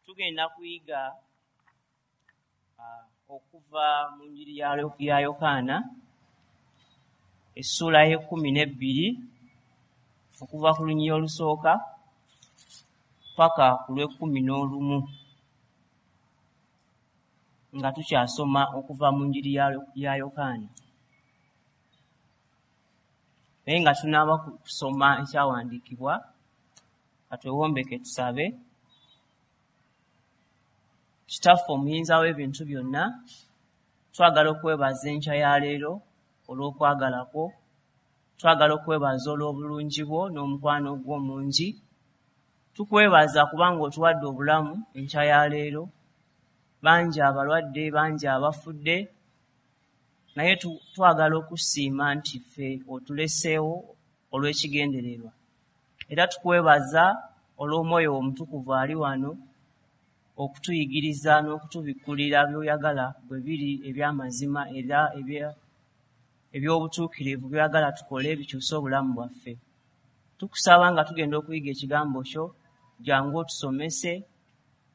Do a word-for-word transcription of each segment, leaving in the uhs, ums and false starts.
Tugenda kuyiga okuva mu njiri ya Yokaana essuula y'ekkumi n'ebbiri okuva ku lunyiriri olusooka paka ku lw'ekkumi n'olumu, nga tukyasoma okuva mu njiri ya Yokaana. Naye nga tunaaba kusoma ekyawandiikibwa, katwewombeke tusabe. Kitaffe omuyinza w'ebintu byonna, twagala okwebaza enkya ya leero olw'okwagala kwo, twagala okwebaza olw'obulungi bwo n'omukwano gwo omungi. Tukwebaza kubanga otuwadde obulamu enkya ya leero. Bangi abalwadde, bangi abafudde, naye twagala okusiima nti ffe otuleseewo olw'ekigendererwa. Era tukwebaza olw'omwoyo omutukuvu ali wano okutuyigiriza n'okutubikkulira by'oyagala bwe biri eby'amazima era eby'obutuukirivu by'oyagala tukole bikyuse obulamu bwaffe. Tukusaba nga tugenda okuyiga ekigambo kyo, jangu otusomese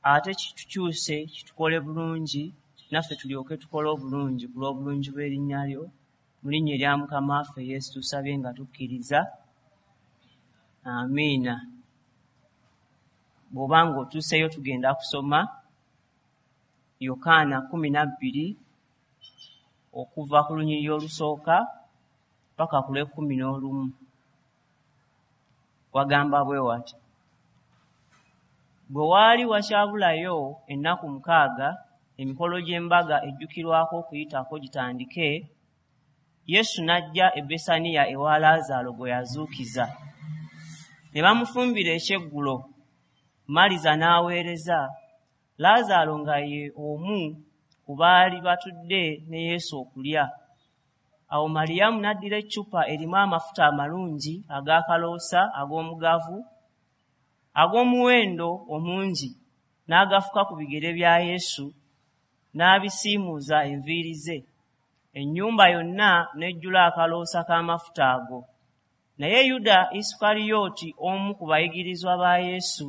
ate kitukyuse kitukole bulungi, naffe tulyoke tukole obulungi ku lw'obulungi bw'erinnya lyo. Mu linnya erya Mukama waffe Yesu tusabye nga tukkiriza, amiina. Bw'oba ng'otuuseeyo tugenda kusoma Yokaana kkumi na bbiri okuva ku lunyiriri olusooka paka ku lw'ekkumi n'olumu. Wagamba bwe wati: bwe waali wakyabulayo ennaku mukaaga emikolo gy'embaga ejjukirwako okuyitako gitandike, Yesu n'ajja e Besaniya ewa Laazaalo gwe yazuukiza. Ne bamufumbira ekyeggulo, Maliza n'aweereza, Laazaalo nga ye omu ku baali batudde ne Yesu okulya. Awo Maliyamu n'addira eccupa erimu amafuta amalungi ag'akaloosa ag'omugavu ag'omuwendo omungi, n'agafuka ku bigere bya Yesu, n'abisiimuuza enviiri ze. Ennyumba yonna n'ejjula akaloosa k'amafuta ago. Naye Yuda Isukalyoti, omu ku bayigirizwa ba Yesu,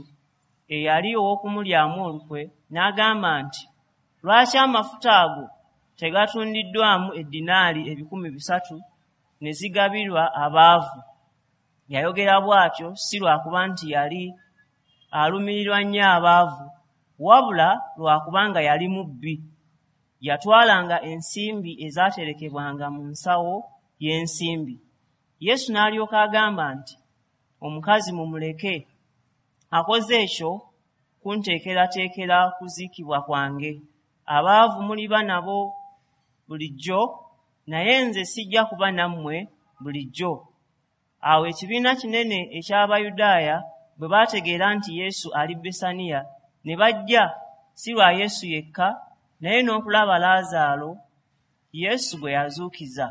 eyali ow'okumulyamu olukwe, n'agamba nti, lwaki amafuta ago tegatundiddwamu eddinaali ebikumi bisatu ne zigabirwa abaavu? Yayogera bw'atyo si lwakuba nti yali alumirirwa nnyo abaavu, wabula lwakubanga yali mubbi. Yatwalanga ensimbi ezaaterekebwanga mu nsawo y'ensimbi. Yesu n'alyoka agamba nti, omukazi mumuleke, akoze ekyo kunteekerateekera kuziikibwa kwange. Abaavu muliba nabo bulijjo, naye nze sijja kuba nammwe bulijjo. Awo ekibiina kinene eky'Abayudaaya bwe baategeera nti Yesu ali Besaniya, ne bajja si lwa Yesu yekka, naye n'okulaba Laazaalo Yesu gwe yazuukiza.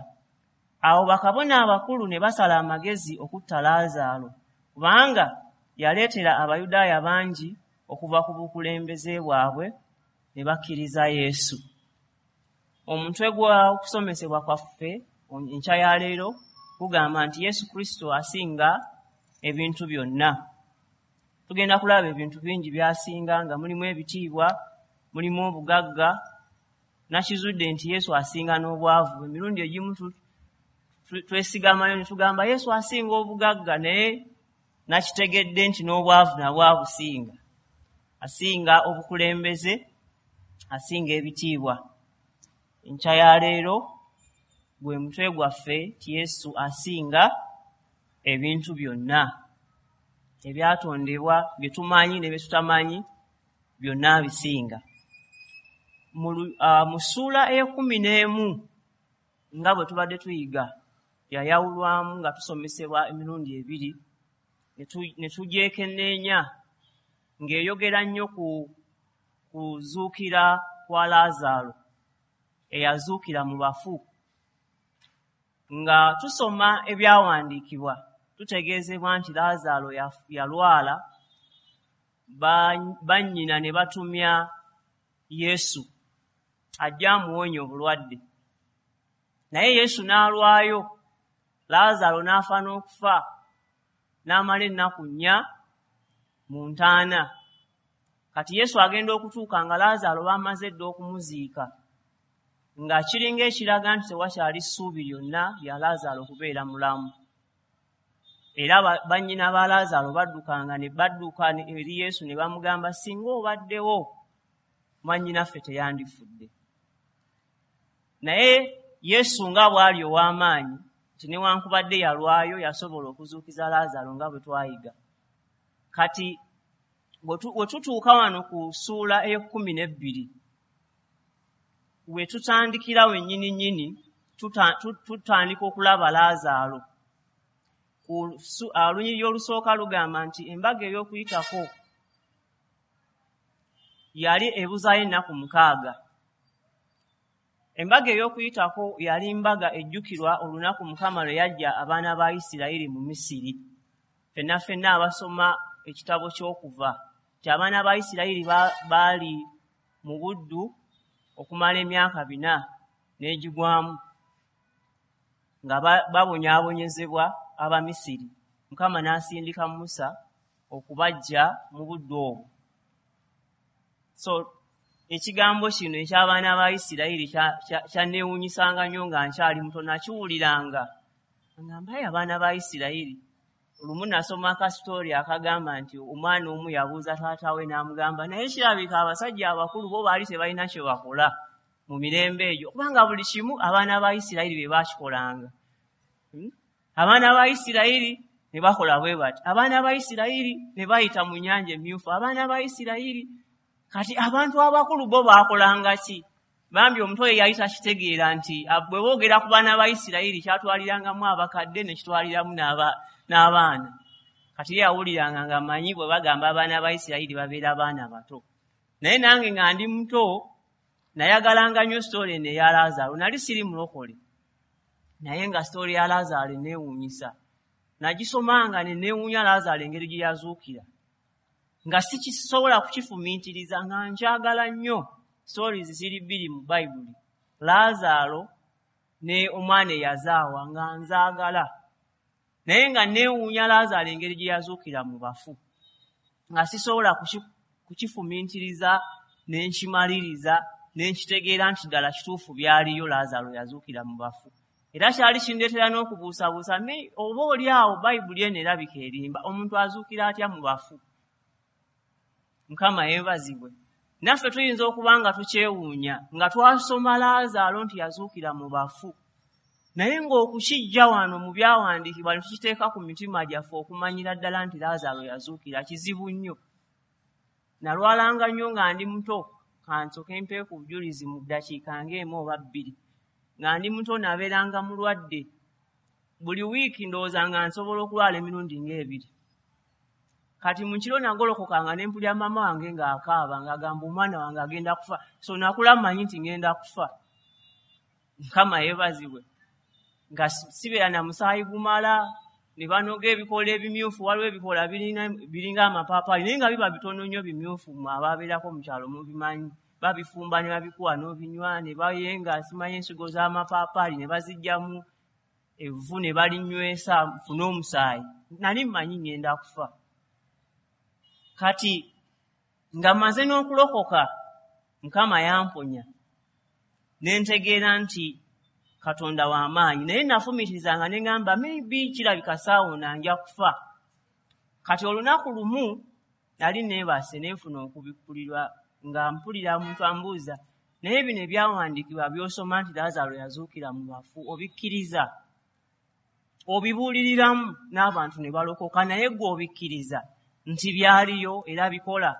Awo bakabona abakulu ne basala amagezi okutta Laazaalo, kubanga yaleetera Abayudaaya bangi okuva ku bukulembeze bwabwe ne bakkiriza Yesu. Omutwe gw'okusomesebwa kwaffe enkya ya leero gugamba nti Yesu Kristo asinga ebintu byonna. Tugenda kulaba ebintu bingi by'asinga, nga mulimu ebitiibwa, mulimu obugagga. Nakizudde nti Yesu asinga n'obwavu. Emirundi egimu twesigamayo ne tugamba Yesu asinga obugagga, naye nakitegedde nti n'obwavu nabwo abusinga. Asinga obukulembeze, asinga ebitiibwa. Enkya ya leero gwe mutwe gwaffe nti Yesu asinga ebintu byonna ebyatondebwa, bye tumanyi ne bye tutamanyi, byonna abisinga. Mu ssuula ey'ekkumi n'emu nga bwe tubadde tuyiga, yayawulwamu nga tusomesebwa emirundi ebiri, ne tugyekenneenya ng'eyogera nnyo ku kuzuukira kwa Laazaalo eyazuukira mu bafu. Nga tusoma ebyawandiikibwa tutegeezebwa nti Laazaalo yalwala, bannyina ne batumya Yesu ajja amuwonye obulwadde. Naye Yesu n'alwayo, Laazaalo n'afa n'okufa, n'amala ennaku nnya mu ntaana. Kati Yesu agenda okutuuka nga Laazaalo bamaze dda okumuziika, nga kiringa ekiraga nti tewakyali ssuubi lyonna lya Laazaalo kubeera mulamu. Era bannyina ba Laazaalo baddukanga ne badduka eri Yesu ne bamugamba, singa obaddewo mwannyinaffe teyandifudde. Naye Yesu nga bw'ali ow'amaanyi nti newankubadde yalwayo yasobola okuzuukiza Laazaalo nga bwe twayiga. Kati bwe tutuuka wano ku ssuula ey'ekkumi n'ebbiri, we tutandikira wennyini nnyini tutandika okulaba Laazaalo. Olunyiriri olusooka lugamba nti embaga ey'okuyitako yali ebuzaayo ennaku mukaaga. Embaga ey'okuyitako yali mbaga ejjukirwa olunaku Mukama lwe yajja abaana ba Isirayiri mu Misiri. Ffenna ffenna abasoma ekitabo ky'okuva nti abaana ba Isirayiri baali mu buddu okumala emyaka bina n'egigwamu nga babonyaabonyezebwa Abamisiri. Mukama n'asindika Musa okubaggya mu buddu obwo. So ekigambo kino eky'abaana ba Isirayiri kyanneewuunyisanga nnyo nga nkyali muto, nakiwuliranga ngamba ye abaana ba Isirayiri. Olumu nasoma akasitori akagamba nti omwana omu yabuuza taata we n'amugamba, naye kirabika abasajja abakulu bo baali tebalina kye bakola mu mirembe egyo, kubanga buli kimu abaana ba Isirayiri be baakikolanga. Abaana ba Isirayiri ne bakola bwe bati, abaana ba Isirayiri ne bayita mu nnyanja emmyufu, abaana ba Isirayiri. Kati abantu abakulu bo baakolanga ki? Bambi omuto ye yali takitegeera nti bwe boogera ku baana ba Isirayiri kyatwalirangamu abakadde ne kitwaliramu n'abaana. Kati ye yawuliranga ng'amanyi bwe bagamba abaana ba Isirayiri babeera baana bato. Naye nange nga ndi muto nayagalanga nnyo sitoori eno eya Laazaalo. Nali siri mulokole, naye nga sitoori ya Laazaalo eneewuunyisa. Nagisomanga ne neewuunya Laazaalo engeri gye yazuukira, nga sikisobola kukifumiitiriza, nga nkyagala nnyo. Stories ziri bbiri mu Bayibuli, Laazaalo ne omwana eyazaawa, nga nzaagala. Naye nga neewuunya Laazaalo engeri gye yazuukira mu bafu, nga sisobola kukifumiitiriza ne nkimaliriza ne nkitegeera nti ddala kituufu byaliyo, Laazaalo yazuukira mu bafu. Era kyali kindeetera n'okubuusabuusa, oba oli awo Bayibuli eno erabika erimba, omuntu azuukira atya mu bafu? Mukama yeebazibwe. Naffe tuyinza okuba nga tukyewuunya nga twasoma Laazaalo nti yazuukira mu bafu, naye ng'okukijja wano mu byawandiikibwa ne tukiteeka ku mitima gyaffe okumanyira ddala nti Laazaalo yazuukira kizibu nnyo. Nalwalanga nnyo nga ndi muto, kansooke mpe ku bujulizi mu ddakiika ng'emu oba bbiri. Nga ndi muto nabeeranga mulwadde, buli wiiki ndowooza nga nsobola okulwala emirundi ng'ebiri. Kati mu kiro nagolokokanga ne mpulira maama wange ng'akaaba ng'agamba omwana wange agenda kufa. So nakula mmanyi nti ngenda kufa. Mukama yeebazibwe. Nga sibeera na musaayi gumala, ne banoga ebikoola ebimyufu, waliwo ebikoola biringa amapaapaali naye nga biba bitono nnyo bimyufu, mmwe ababeerako mu kyalo mubimanyi. Babifumba ne babikuwa n'obinywa, ne bayenga simanyi ensigo z'amapaapaali ne baziggyamu evvu ne balinywesa nfune omusaayi. Nali mmanyi ngenda kufa. Kati nga mmaze n'okulokoka, Mukama yamponya ne ntegeera nti Katonda wa maanyi. Naye nafumiitirizanga ne ŋŋamba maybe kirabika saawona nja kufa. Kati olunaku lumu nali neebase ne nfuna okubikkulirwa nga mpulira omuntu ambuuza, naye bino ebyawandiikibwa by'osoma nti Laazaalo yazuukira mu bafu obikkiriza? Obibuuliriramu n'abantu ne balokoka, naye ggwe obikkiriza nti byaliyo era bikola?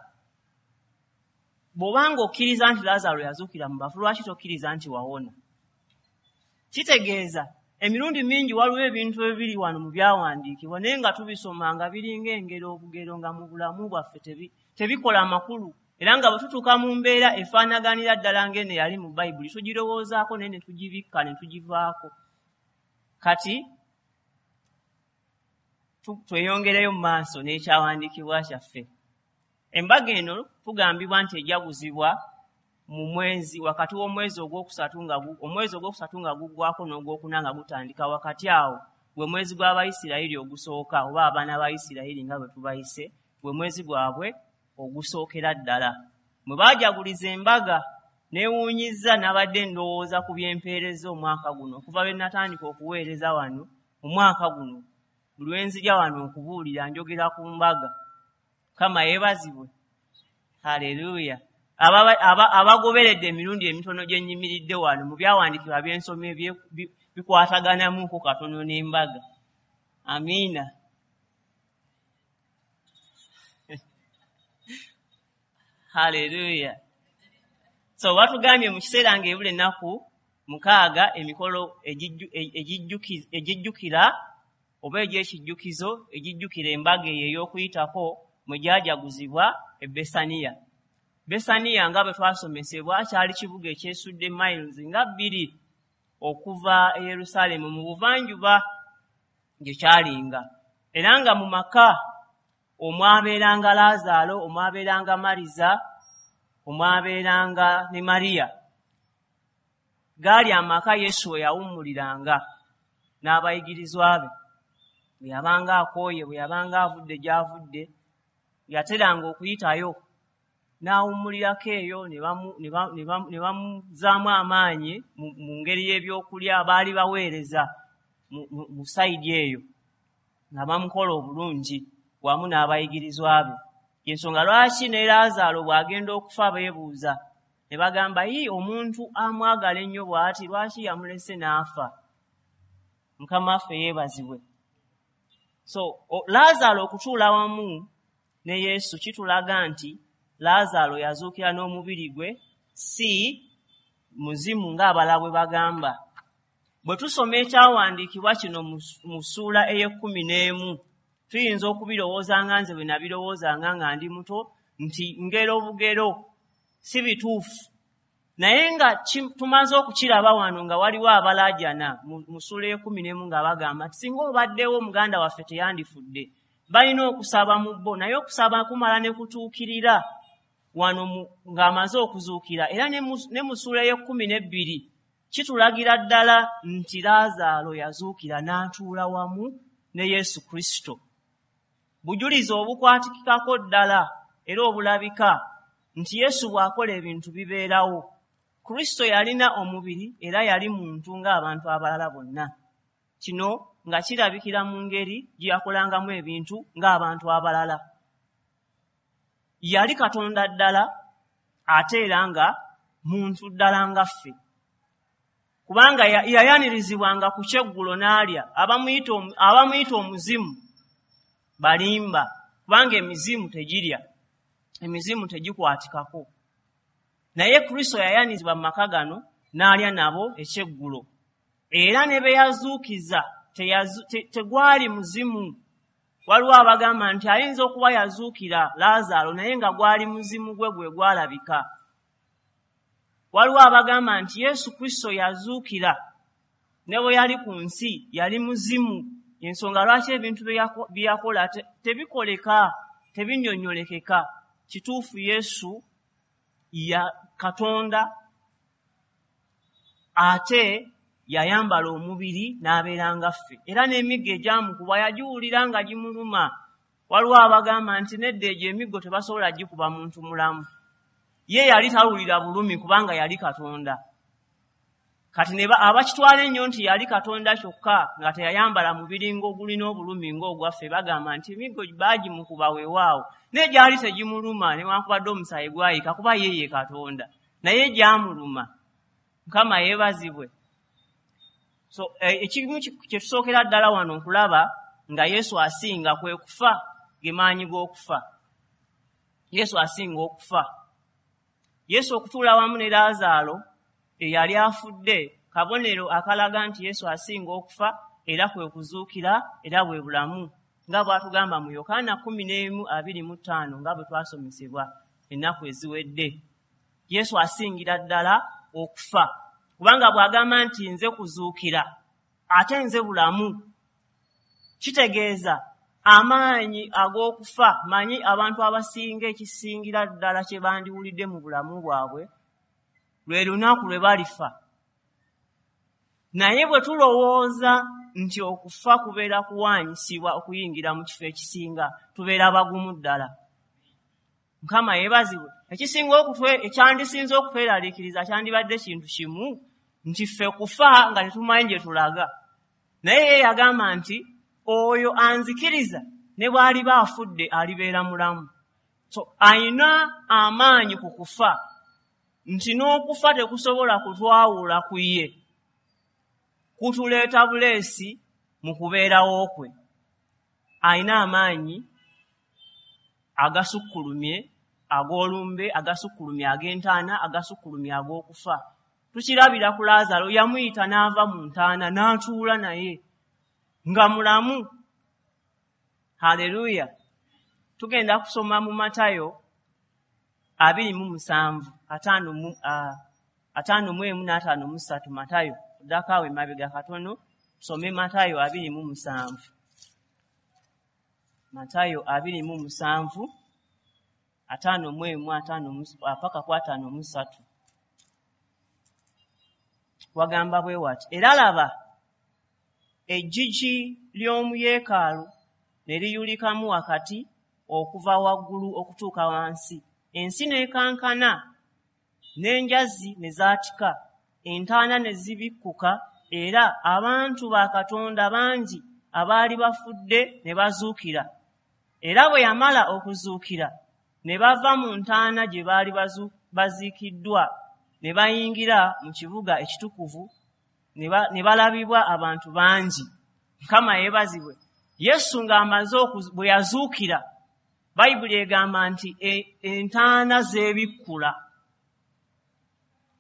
Bw'obanga okkiriza nti Laazaalo yazuukira mu bafu, lwaki tokkiriza nti wawona? Kitegeeza emirundi mingi waliwo ebintu ebiri wano mu byawandiikibwa naye nga tubisoma nga biringa engero obugero, nga mu bulamu bwaffe tebikola makulu. Era nga bwe tutuuka mu mbeera efaanaganira ddala ng'eno eyali mu Bayibuli, tugirowoozaako naye ne tugibikka ne tugivaako. Kati tweyongereyo mu maaso n'ekyawandiikibwa kyaffe. Embaga eno tugambibwa nti ejaguzibwa mu mwezi, wakati w'omwezi ogwokusatu nga omwezi ogwokusatu nga guggwako n'ogwokuna nga gutandika. Wakati awo gwe mwezi gw'Abayisirayiri ogusooka, oba abaana ba Isirayiri nga bwe tubayise, gwe mwezi gwabwe ogusookera ddala mwe baajaguliza embaga. Neewuunyizza, nabadde ndowooza ku byempeereza omwaka guno okuva lwe natandika okuweereza wano. Omwaka guno buli lwe nzija wano okubuulira njogera ku mbaga. Mukama yeebazibwe, haleluya. Abagoberedde emirundi emitono gye nnyimiridde wano mu byawandiikibwa by'ensomye bikwataganamuko katono n'embaga. Amiina. Haleluya. So batugambye mu kiseera ng'ebula ennaku mukaaga emikolo egijjukira oba egy'ekijjukizo egijjukira embaga eyo ey'okuyitako mwe gyajaguzibwa e Besaniya. Besaniya nga bwe twasomesebwa kyali kibuga ekyesudde miles nga bbiri okuva e Yerusaalemu mu buvanjuba gye kyalinga, era nga mu maka omwabeeranga Laazaalo, omwabeeranga Mariza, omwabeeranga ne Mariya. Gaali amaka Yesu we yawummuliranga n'abayigirizwa be. Bwe yabanga akooye, bwe yabanga avudde gy'avudde, yateranga okuyitayo n'awummulirako eyo ne bamuzaamu amaanyi mu ngeri y'ebyokulya. Baali baweereza mu sayidi eyo nga bamukola obulungi wamu n'abayigirizwa be. Ensonga lwaki ne Laazaalo bw'agenda okufa beebuuza ne bagamba, yi omuntu amwagala ennyo bw'ati lwaki yamulese n'afa? Mukama waffe yeebazibwe. So Laazaalo okutuula wamu ne Yesu kitulaga nti Laazaalo yazuukira n'omubiri gwe, si muzimu ng'abalala bwe bagamba. Bwe tusoma ekyawandiikibwa kino mu ssuula ey'ekkumi n'emu, tuyinza okubirowooza nga nze bwe nabirowoozanga nga ndi muto nti ngero bugero, si bituufu. Naye nga tumaze okukiraba wano nga waliwo abalaajana mu ssuula ey'ekkumi n'emu nga bagamba nti singa obaddewo muganda waffe teyandifudde. Balina okusaba mu bo, naye okusaba kumala ne kutuukirira wano ng'amaze okuzuukira. Era ne mu ssuula ey'ekkumi n'ebbiri kitulagira ddala nti Laazaalo yazuukira n'atuula wamu ne Yesu Kristo. Bujulizi obukwatikikako ddala era obulabika nti Yesu bw'akola ebintu bibeerawo. Kristo yalina omubiri era yali muntu ng'abantu abalala bonna. Kino nga kirabikira mu ngeri gye yakolangamu ebintu ng'abantu abalala. Yali Katonda ddala ate era nga muntu ddala nga ffe, kubanga yayanirizibwanga ku kyeggulo n'alya. Abamuyita omuzimu balimba, kubanga emizimu tegirya, emizimu tegikwatikako. Naye Kristo yayanirizibwa mu maka gano n'alya nabo ekyeggulo, era ne be yazuukiza tegwali muzimu. Waliwo abagamba nti ayinza okuba yazuukira Laazaalo naye nga gwali muzimu gwe gwe gwalabika. Waliwo abagamba nti Yesu Kristo yazuukira ne bwe yali ku nsi yali muzimu. Ensonga lwaki ebintu bye yakola tebikoleka, tebinnyonnyolekeka. Kituufu Yesu ya Katonda ate yayambala omubiri n'abeera nga ffe, era n'emiggo egyamukuba yagiwulira nga gimuluma. Waliwo abagamba nti nedda, egyo emiggo tebasobola gikuba muntu mulamu. Ye yali tawulira bulumi kubanga yali Katonda. Kati ne abakitwala ennyo nti yali Katonda kyokka nga teyayambala mubiri ng'ogulina obulumi ng'ogwaffe, bagamba nti emiggo baagimukuba weewaawo, naye gyali tegimuluma newankubadde omusaayi gwayika kuba ye ye Katonda, naye gyamuluma. Mukama yeebazibwe. So ekimu kye tusookera ddala wano nkulaba nga Yesu asinga kwe kufa, ge maanyi g'okufa. Yesu asinga okufa. Yesu okutuula wamu ne Laazaalo eyali afudde kabonero akalaga nti Yesu asinga okufa, era kwe kuzuukira era bwe bulamu, nga bw'atugamba mu Yokaana kkumi n'emu abiri mu ttaano nga bwe twasomesebwa ennaku eziwedde. Yesu asingira ddala okufa, kubanga bw'agamba nti nze kuzuukira ate nze bulamu, kitegeeza amaanyi ag'okufa. Manyi abantu abasinga ekisingira ddala kye bandiwulidde mu bulamu bwabwe lwe lunaku lwe balifa. Naye bwe tulowooza nti okufa kubeera kuwaanyisibwa okuyingira mu kifo ekisinga, tubeera bagumu ddala. Mukama yeebazibwe. Ekisinga okutwe ekyandisinze okutweraliikiriza kyandibadde kintu kimu, nti ffe kufa nga tetumanyi gye tulaga. Naye ye yagamba nti oyo anzikiriza ne bw'aliba afudde alibeera mulamu. So ayina amaanyi ku kufa, nti n'okufa tekusobola kutwawula ku ye, kutuleeta buleesi mu kubeerawo kwe. Ayina amaanyi agasukkulumye ag'olumbe, agasukkulumye ag'entaana, agasukkulumye ag'okufa. Tukirabira ku Lazaalo, yamuyita n'ava mu ntaana n'atuula naye nga mulamu. Haleluya. Tugenda kusoma mu Matayo abiri mu musanvu ataano mu ataano mu emu n'ataano mu ssatu. Matayo ddako awo emabega katono, tusome Matayo abiri mu musanvu. Matayo abiri mu musanvu ataano mu emu ataano mu paka ku ataano mu ssatu. Wagamba bwe wati: era laba, eggigi ly'omu yeekaalu ne liyulikamu wakati okuva waggulu okutuuka wansi, ensi n'ekankana, n'enjazi ne zaatika, entaana ne zibikkuka, era abantu ba Katonda bangi abaali bafudde ne bazuukira. Era bwe yamala okuzuukira, ne bava mu ntaana gye baali baziikiddwa, ne bayingira mu kibuga ekitukuvu, ne balabibwa abantu bangi. Mukama yeebazibwe. Yesu ng'amaze bwe yazuukira, Bayibuli egamba nti entaana zeebikkula.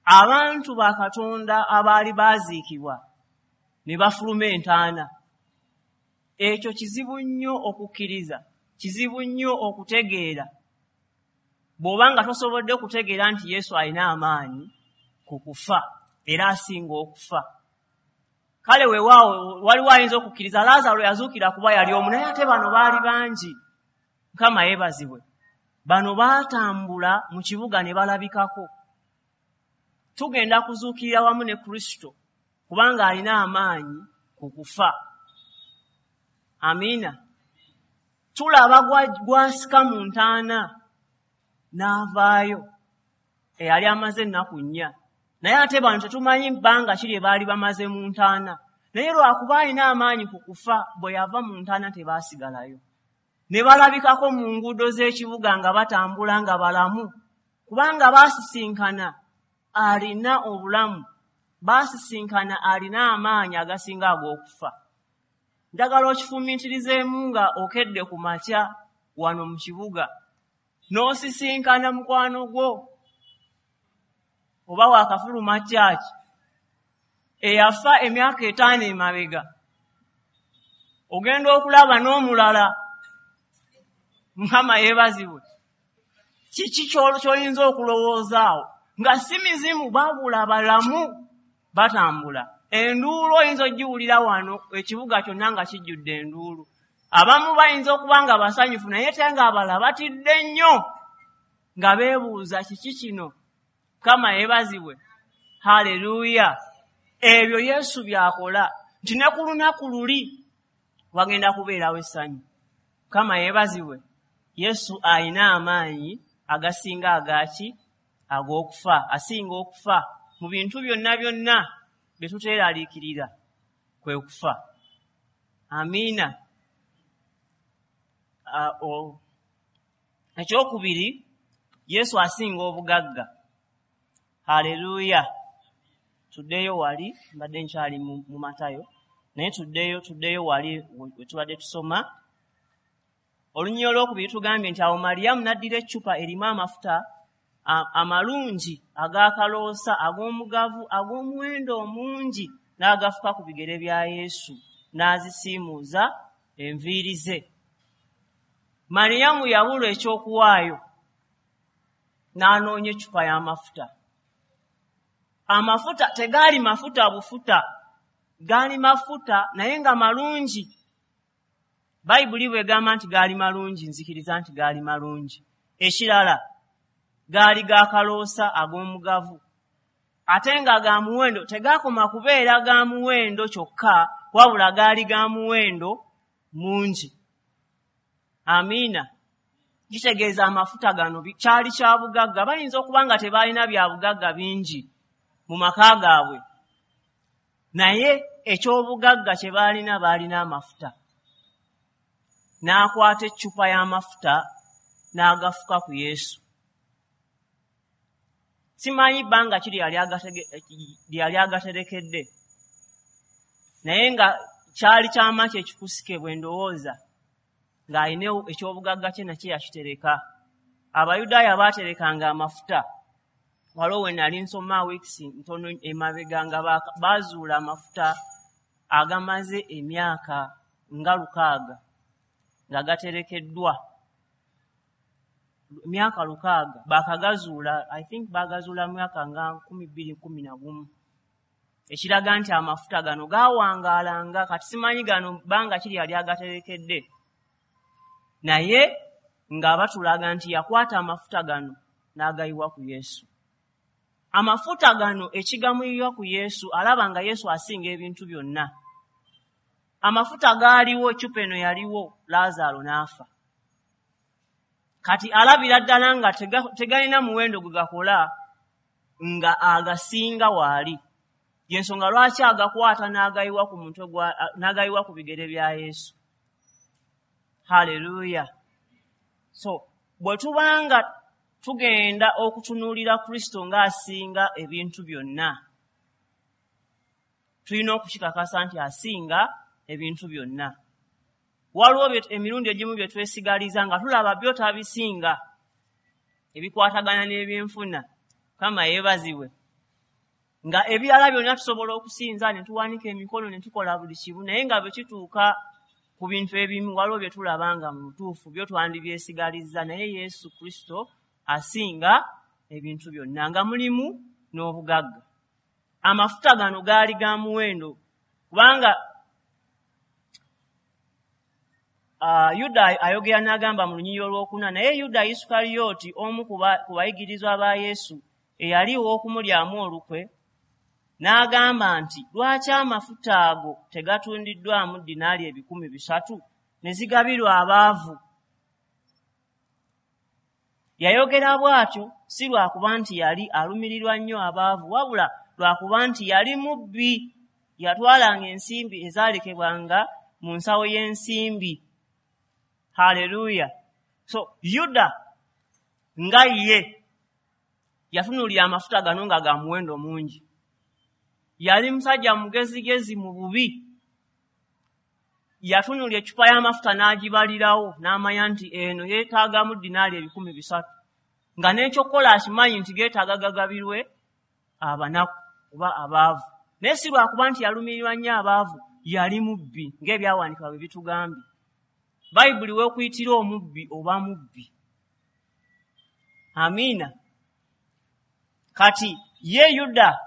Abantu ba Katonda abaali baaziikibwa ne bafuluma entaana. Ekyo kizibu nnyo okukkiriza, kizibu nnyo okutegeera. Bw'oba nga tosobodde kutegeera nti Yesu alina amaanyi ku kufa, era asinga okufa. Kale weewaawo waliwo ayinza okukkiriza Lazaalo yazuukira kuba yali omu, naye ate bano baali bangi. Mukama yeebazibwe. Bano baatambula mu kibuga ne balabikako. Tugenda kuzuukirira wamu ne Kristo kubanga alina amaanyi ku kufa. Amiina. Tulaba gwasika mu ntaana n'avaayo, eyali amaze ennaku nnya. Naye ate bano tetumanyi bbanga ki lye baali bamaze mu ntaana, naye lwakuba alina amaanyi ku kufa, bwe yava mu ntaana tebaasigalayo. Ne balabikako mu nguudo z'ekibuga nga batambula nga balamu, kubanga baasisinkana alina obulamu, baasisinkana alina amaanyi agasinga ag'okufa. Njagala okifumiitirizeemu nga okedde ku makya wano mu kibuga, n'osisinkana mukwano gwo oba waakafuluma kyaki eyafa emyaka etaano emabega, ogenda okulaba n'omulala. Mukama yeebazibwe. Kiki ky'oyinza okulowoozaawo nga si mizimu, babula balamu batambula. Enduulu oyinza ogiwulira wano ekibuga kyonna nga kijjudde enduulu. Abamu bayinza okuba nga basanyufu, naye te nga abalala batidde nnyo nga beebuuza kiki kino. Mukama yeebazibwe. Haleluya. Ebyo Yesu by'akola nti ne ku lunaku luli wagenda kubeerawo essanyu. Mukama yeebazibwe. Yesu alina amaanyi agasinga agaki ag'okufa, asinga okufa. Mu bintu byonna byonna bye tuteeraliikirira kwe kufa. Amiina. Ekyokubiri, Yesu asinga obugagga. Haleluya. Tuddeyo wali, mbadde nkyali mu Matayo, naye tuddeyo tuddeyo wali we tubadde tusoma. Olunyiriri olwokubiri tugambye nti awo Mariyamu n'addira eccupa erimu amafuta amalungi ag'akaloosa ag'omugavu ag'omuwendo omungi, n'agafuka ku bigere bya Yesu, n'azisiimuuza enviiri ze. Mariyamu yabulwa ekyokuwaayo, n'anoonya eccupa y'amafuta. Amafuta tegaali mafuta bufuta, gaali mafuta naye nga malungi. Bayibuli bw'egamba nti gaali malungi, nzikiriza nti gaali malungi. Ekirala, gaali ga kaloosa ag'omugavu, ate nga ga muwendo. Tegaakoma kubeera ga muwendo kyokka, wabula gaali ga muwendo mungi. Amiina. Kitegeeza amafuta gano kyali kya bugagga. Bayinza okuba nga tebalina bya bugagga bingi mu maka gaabwe, naye eky'obugagga kye baalina, baalina amafuta. N'akwata eccupa y'amafuta n'agafuka ku Yesu. Simanyi bbanga ki lye yali agaterekedde, naye nga kyali kyama kye ekikusike bwe ndowooza, ng'alina eky'obugagga kye nakye yakitereka. Abayudaaya baaterekanga amafuta. Waliwo we nali nsoma weeks ntono emabega nga baazuula amafuta agamaze emyaka nga lukaaga nga gaterekeddwa, emyaka lukaaga baakagazuula. I think baagazuula myaka nga nkumi bbiri kumi na gumu, ekiraga nti amafuta gano gaawangaalanga. Kati simanyi gano bbanga ki lyali agaterekedde, naye nga batulaga nti yakwata amafuta gano n'agayiwa ku Yesu. Amafuta gano ekigamuyiwa ku Yesu, alaba nga Yesu asinga ebintu byonna. Amafuta gaaliwo, eccupa eno yaliwo, Laazaalo n'afa. Kati alabira ddala nga tegalina muwendo gwe gakola, nga agasinga waali. Yensonga lwaki agakwata n'agayiwa ku mutwe gwa, n'agayiwa ku bigere bya Yesu. Haleluya! So bwe tubanga tugenda okutunuulira Kristo ng'asinga ebintu byonna, tulina okukikakasa nti asinga ebintu byonna. Waliwo emirundi egimu bye twesigaliza nga tulaba byo tabisinga, ebikwatagana n'ebyenfuna. Mukama yeebazibwe. Nga ebirala byonna tusobola okusinza ne tuwanika emikono ne tukola buli kimu, naye nga bwe kituuka ku bintu ebimu waliwo bye tulaba nga mu butuufu byo twandibyesigalizza, naye Yesu Kristo asinga ebintu byonna, nga mulimu n'obugagga. Amafuta gano gaali ga muwendo, kubanga uh, Yuda ayogera n'agamba mu lunyiriri olwokuna, naye Yuda Isukariyoti, omu ku bayigirizwa ba Yesu eyali ow'okumulyamu olukwe, n'agamba nti, lwaki amafuta ago tegatundiddwamu dinaali ebikumi bisatu ne zigabirwa abaavu? Yayogera bw'atyo si lwakuba nti yali alumirirwa nnyo abaavu, wabula lwakuba nti yali mubbi. Yatwalanga ensimbi ezaalekebwanga mu nsawo y'ensimbi. Haleluya! So Yuda nga ye yatunuulira amafuta gano nga ga muwendo mungi. Yali musajja mugezigezi mu bubi. Yatunuulira eccupa y'amafuta n'agibalirawo, n'amanya nti eno yeetaagamu dinaali ebikumi bisatu, nga n'ekyokukola akimanyi nti geetaaga gagabirwe abanaku oba abaavu. Naye si lwakuba nti yalumirirwa nnyo abaavu, yali mubbi ng'ebyawandiikibwa bwe bitugambye. Bayibuli weekuyitira omubbi oba mubbi. Amiina. Kati ye Yuda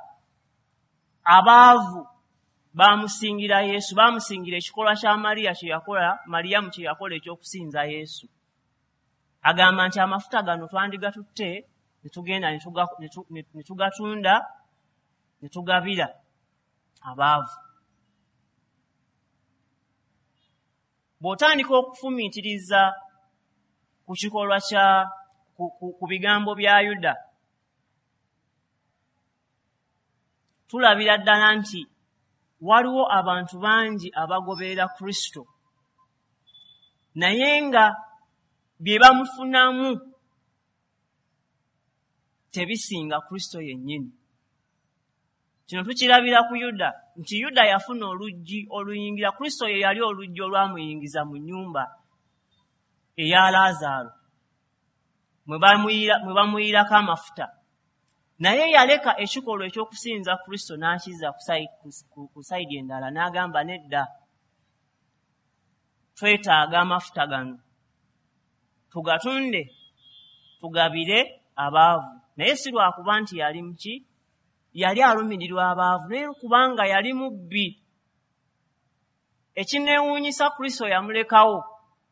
abaavu bamusingira Yesu, bamusingira ekikolwa kya Mariya kye yakola, Mariyamu kye yakola eky'okusinza Yesu. Agamba nti amafuta gano twandigatutte ne tugenda ne tugatunda ne tugabira abaavu. Bw'otandika okufumiitiriza ku kikolwa kya ku, ku, ku bigambo bya Yuda, tulabira ddala nti waliwo abantu bangi abagoberera Kristo, naye nga bye bamufunamu tebisinga Kristo yennyini. Kino tukirabira ku Yuda nti Yuda yafuna oluggi oluyingira. Kristo ye yali oluggi olwamuyingiza mu nnyumba eya Laazaalo mwe bamuyirako amafuta, naye yaleka ekikolwa eky'okusinza Kristo n'akizza ku sayidi endala, n'agamba nedda, twetaaga amafuta gano tugatunde tugabire abaavu. Naye si lwakuba nti yali muki, yali alumirirwa abaavu, naye kubanga yali mubbi. Ekineewuunyisa, Kristo yamulekawo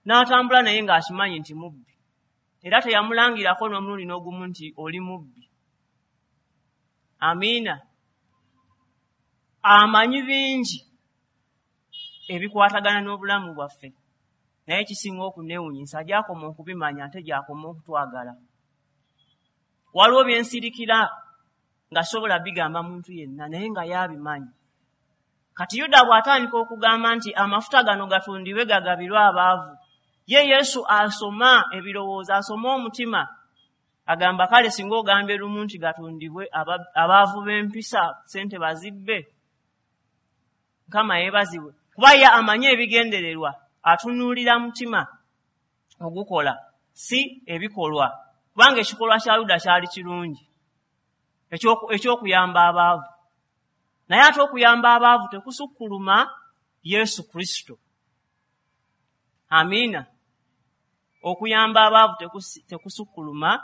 n'atambula naye ng'akimanyi nti mubbi, era teyamulangirako n'omulundi n'ogumu nti oli mubbi. Amiina. Amanyi bingi ebikwatagana n'obulamu bwaffe, Naye kisinga okuneewuunyisa, gy'akoma okubimanya ate gy'akoma okutwagala. Waliwo bye nsirikira nga sobola bigamba muntu yenna, naye nga y'abimanyi. Kati Yuda bw'atandika okugamba nti amafuta gano gatundibwe gagabirwe abaavu, ye Yesu asoma ebirowoozo, asoma omutima, agamba kale singa ogambye lumu nti gatundibwe abaavu b'empisa ssente bazibbe. Mukama yeebazibwe, kuba ye amanyi ebigendererwa, atunuulira mutima ogukola si ebikolwa, kubanga ekikolwa kya Yuda kyali kirungi eky'okuyamba abaavu, naye ate okuyamba abaavu tekusukkuluma Yesu Kristo. Amiina. Okuyamba abaavu tekusukkuluma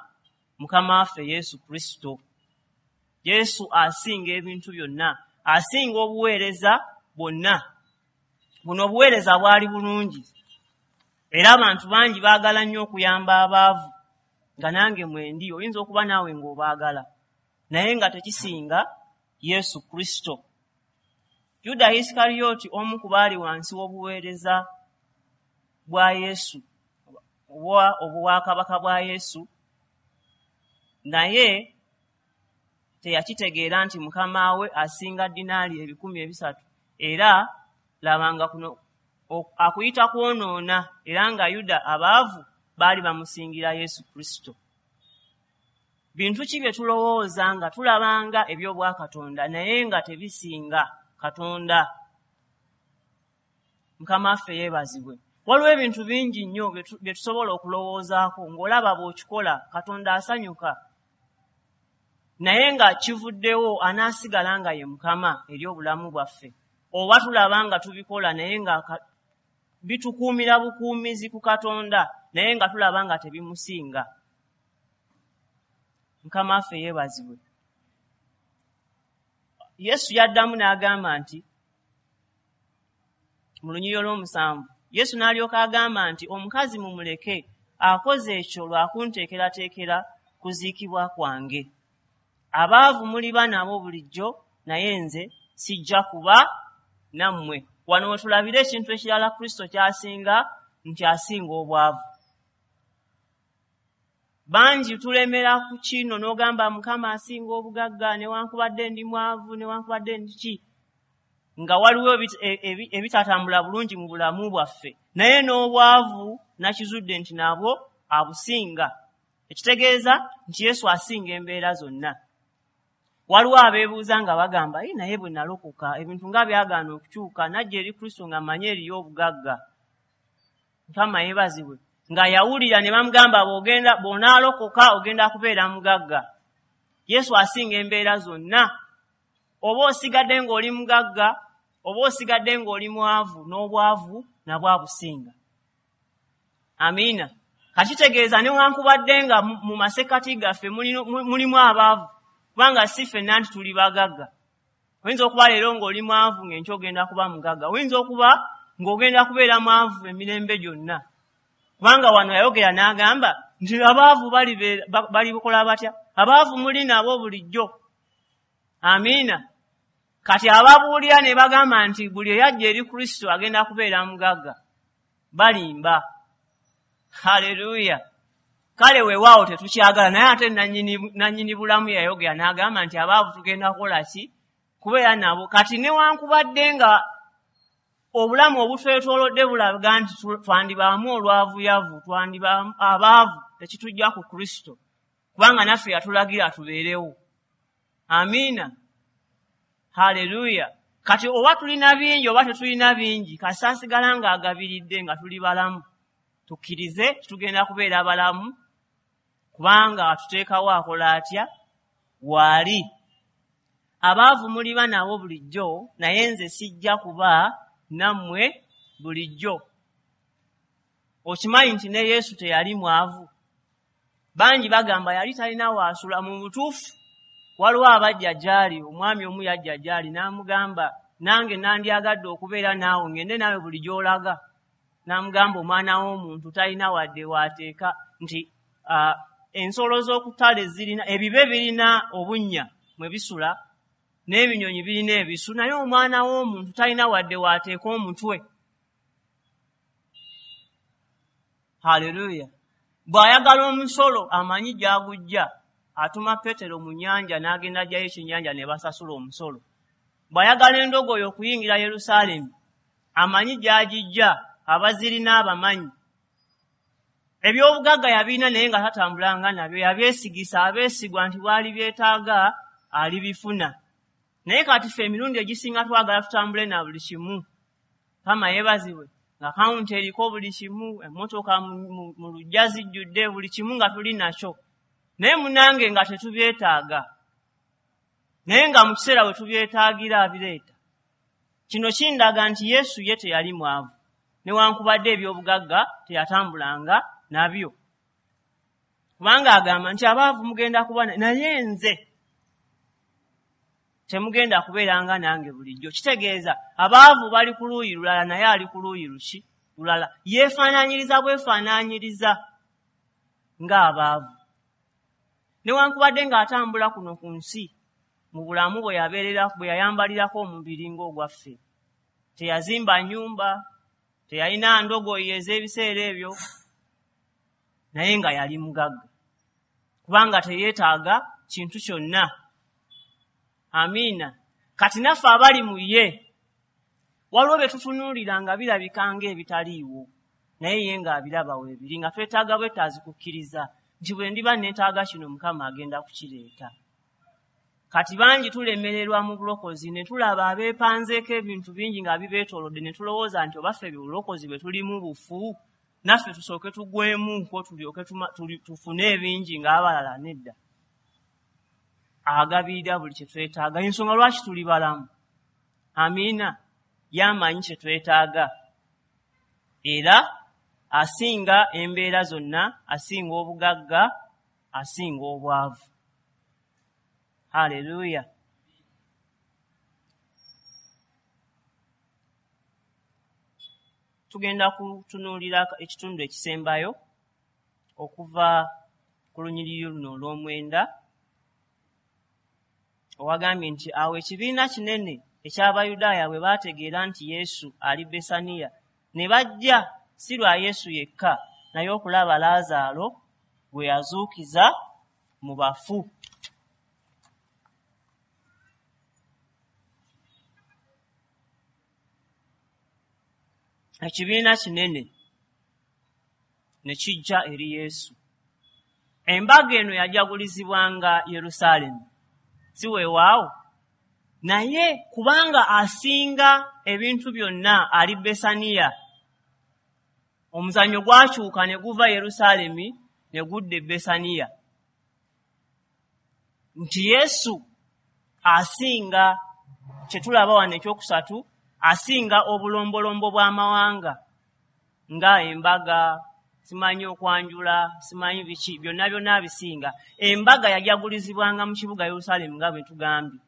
Mukama waffe Yesu Kristo. Yesu asinga ebintu byonna, asinga obuweereza bwonna. Buno obuweereza bwali bulungi, era abantu bangi baagala nnyo okuyamba abaavu, nga nange mwendi, oyinza okuba naawe ng'obaagala, naye nga tekisinga Yesu Kristo. Yuda Isikariyoti omu ku baali wansi w'obuweereza bwa Yesu, oba obwakabaka bwa Yesu, naye teyakitegeera nti mukama we asinga dinaali ebikumi ebisatu, era labanga kuno akuyita kwonoona, era nga Yuda abaavu baali bamusingira Yesu Kristo. Bintu ki bye tulowooza nga tulabanga eby'obwakatonda naye nga tebisinga Katonda? Mukama waffe yeebazibwe. Waliwo ebintu bingi nnyo bye tusobola okulowoozaako ng'olaba bw'okikola Katonda asanyuka, naye nga kivuddewo anaasigala nga ye Mukama eri obulamu bwaffe. Oba tulaba nga tubikola naye nga bitukuumira bukuumizi ku Katonda, naye nga tulaba nga tebimusinga. Mukama waffe yeebazibwe. Yesu yaddamu n'agamba nti mu lunyiriri olw'omusanvu, Yesu n'alyoka agamba nti omukazi mumuleke, akoze ekyo lwa kunteekerateekera kuziikibwa kwange. Abaavu muliba nabo bulijjo, naye nze sijja kuba nammwe. Wano we tulabira ekintu ekirala Kristo ky'asinga, nti asinga obwavu. Bangi tulemera ku kino n'ogamba Mukama asinga obugagga, newankubadde ndi mwavu, newankubadde ndi ki, nga waliwo ebitatambula bulungi mu bulamu bwaffe, naye n'obwavu nakizudde nti nabwo abusinga. Ekitegeeza nti Yesu asinga embeera zonna. Waliwo abeebuuza nga bagamba, "Ee, naye bwe nalokoka ebintu nga byagaana okukyuka, najja eri Kristo nga mmanyi eriyo obugagga." Mukama yeebazibwe. Nga yawulira ne bamugamba bw'ogenda bw'onaalokoka ogenda kubeera mugagga. Yesu asinga embeera zonna. Oba osigadde ng'oli mugagga, oba osigadde ng'oli mwavu, n'obwavu nabwo abusinga. Amiina. Kakitegeeza newankubadde nga mu masekkati gaffe mulimu abaavu, kubanga si ffenna nti tuli bagagga. Oyinza okuba leero ng'oli mwavu ng'enkya ogenda kuba mugagga, oyinza okuba ng'ogenda kubeera mwavu emirembe gyonna. Kubanga wano yayogera n'agamba nti abaavu balikola batya? Abaavu muli nabo bulijjo. Amiina. Kati ababuulira ne bagamba nti buli eyajja eri Kristo agenda kubeera mugagga, balimba. Haleluya. Kale weewaawo tetukyagala, naye ate nannyini bulamu yayogera n'agamba nti abaavu tugenda kukola ki? Kubeera nabo. Kati newankubadde nga obulamu obutwetoolodde bulaga nti twandibaamu olwavuyavu, twandibaamu abaavu, tekitujja ku Kristo, kubanga naffe yatulagira tubeerewo. Amiina. Haleluya. Kati oba tulina bingi oba tetulina bingi, kasita asigala ng'agabiridde nga tuli balamu. Tukkirize tugenda kubeera balamu, kubanga atuteekawo akola atya? Waali. Abaavu muliba nabo bulijjo, naye nze sijja kuba nammwe bulijjo. Okimanyi nti ne Yesu teyali mwavu. Bangi bagamba yali talina waasula. Mu butuufu waliwo abajja gy'ali, omwami omu yajja gy'ali n'amugamba, nange nandyagadde okubeera naawe, ngende naawe buli gy'olaga. N'amugamba omwana w'omuntu talina wadde waateeka, nti uh, ensolo z'okutale zirina ebibe birina obunnya mwe bisula, n'ebinyonyi birina ebisu, naye omwana w'omuntu talina wadde waateeka omutwe. Haleluya! Bw'ayagala omusolo amanyi gy'agujja, atuma Peetero mu nnyanja n'agenda aggyayo ekyennyanja ne basasula omusolo. Bw'ayagala endogoyi okuyingira Yerusaalemi, amanyi gy'agijja, abazirina abamanyi. Ebyobugagga yabirina naye nga tatambulanga nabyo, yabyesigisa abeesigwa nti bw'ali byetaaga alibifuna. Naye kati ffe emirundi egisinga twagala tutambule na buli kimu. Mukama yeebazibwe, ng'akawunti eriko buli kimu, emmotoka mu luggya zijjudde, buli kimu nga tuli nakyo. Naye munnange nga tetubyetaaga. Naye nga mu kiseera we tubyetaagira abireeta. Kino kindaga nti Yesu ye teyali mwavu, newankubadde ebyobugagga teyatambulanga nabyo. Kubanga agamba nti abaavu mugenda kuba naye nze temugenda kubeeranga nange bulijjo. Kitegeeza abaavu bali ku luuyi lulala naye ali ku luuyi luki lulala. Yeefaanaanyiriza bwefaanaanyiriza ng'abaavu. Newankubadde ng'atambula kuno ku nsi mu bulamu bwe yabeerera bwe yayambalirako omubiri ng'ogwaffe. Teyazimba nnyumba, teyalina ndogoyi ez'ebiseera ebyo, naye nga yali mugagga. Kubanga teyeetaaga kintu kyonna. Amiina. Kati naffe abali mu ye, waliwo bye tutunuulira nga birabika ng'ebitaliiwo, naye ye ng'abiraba weebiri, nga twetaaga bwetaazi kukkiriza nti bwe ndiba neetaaga kino Mukama agenda kukireeta. Kati bangi tulemererwa mu bulokozi ne tulaba abeepanzeeko ebintu bingi nga bibeetoolodde ne tulowooza nti oba ffe bulokozi bwe tulimu bufu, naffe tusooke tugwemu ko tulyoke tufune ebingi ng'abalala. Nedda. Agabirira buli kye twetaaga. Ensonga lwaki tuli balamu. Amiina. Y'amanyi kye twetaaga. Era asinga embeera zonna, asinga obugagga, asinga obwavu. Haleluya. Tugenda kutunuulira ekitundu ekisembayo okuva ku lunyiriri luno olw'omwenda, owagambye nti awo ekibiina kinene eky'Abayudaaya bwe baategeera nti Yesu ali Besaniya, ne bajja si lwa Yesu yekka, naye okulaba Laazaalo gwe yazuukiza mu bafu. Ekibiina kinene ne kijja eri Yesu. Embaga eno yajagulizibwanga Yerusaalemi, si weewaawo? Naye kubanga asinga ebintu byonna ali Besaniya, omuzannyo gwakyuka ne guva Yerusaalemi ne gudda e Besaniya. Nti Yesu asinga, kye tulaba wano ekyokusatu, asinga obulombolombo bw'amawanga nga embaga, simanyi okwanjula, simanyi biki, byonna byonna abisinga. Embaga yajagulizibwanga mu kibuga Yerusaalemi nga bwe tugambye.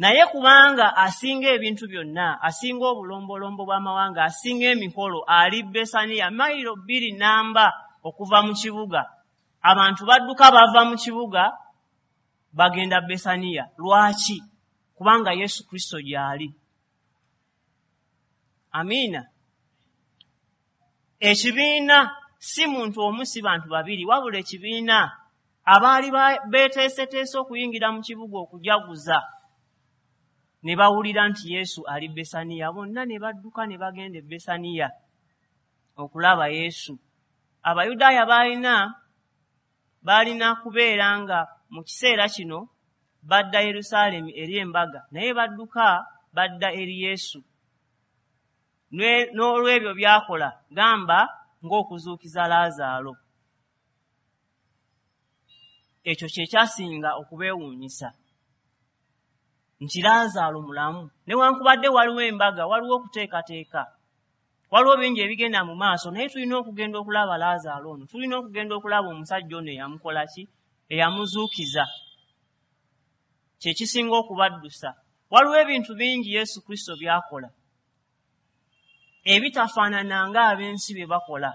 Naye kubanga asinga ebintu byonna, asinga obulombolombo bw'amawanga, asinga emikolo, ali Besaniya, mayiro bbiri namba okuva mu kibuga. Abantu badduka bava mu kibuga bagenda Besaniya. Lwaki? Kubanga Yesu Kristo gy'ali. Amiina. Ekibiina si muntu omu, si bantu babiri, wabula ekibiina abaali beeteeseteese okuyingira mu kibuga okujaguza ne bawulira nti Yesu ali Besaniya, bonna ne badduka ne bagenda e Besaniya okulaba Yesu. Abayudaaya baalina baalina kubeera nga mu kiseera kino badda Yerusaalemi eri embaga, naye badduka badda eri Yesu. N'olwebyo by'akola, gamba ng'okuzuukiza Laazaalo. Ekyo kye kyasinga okubeewuunyisa, nti Laazaalo mulamu. Newankubadde waliwo embaga, waliwo okuteekateeka, waliwo bingi ebigenda mu maaso, naye tulina okugenda okulaba Laazaalo ono, tulina okugenda okulaba omusajja ono eyamukola ki, eyamuzuukiza. Kye kisinga okubaddusa. Waliwo ebintu bingi Yesu Kristo by'akola ebitafaanana ng'ab'ensi bye bakola,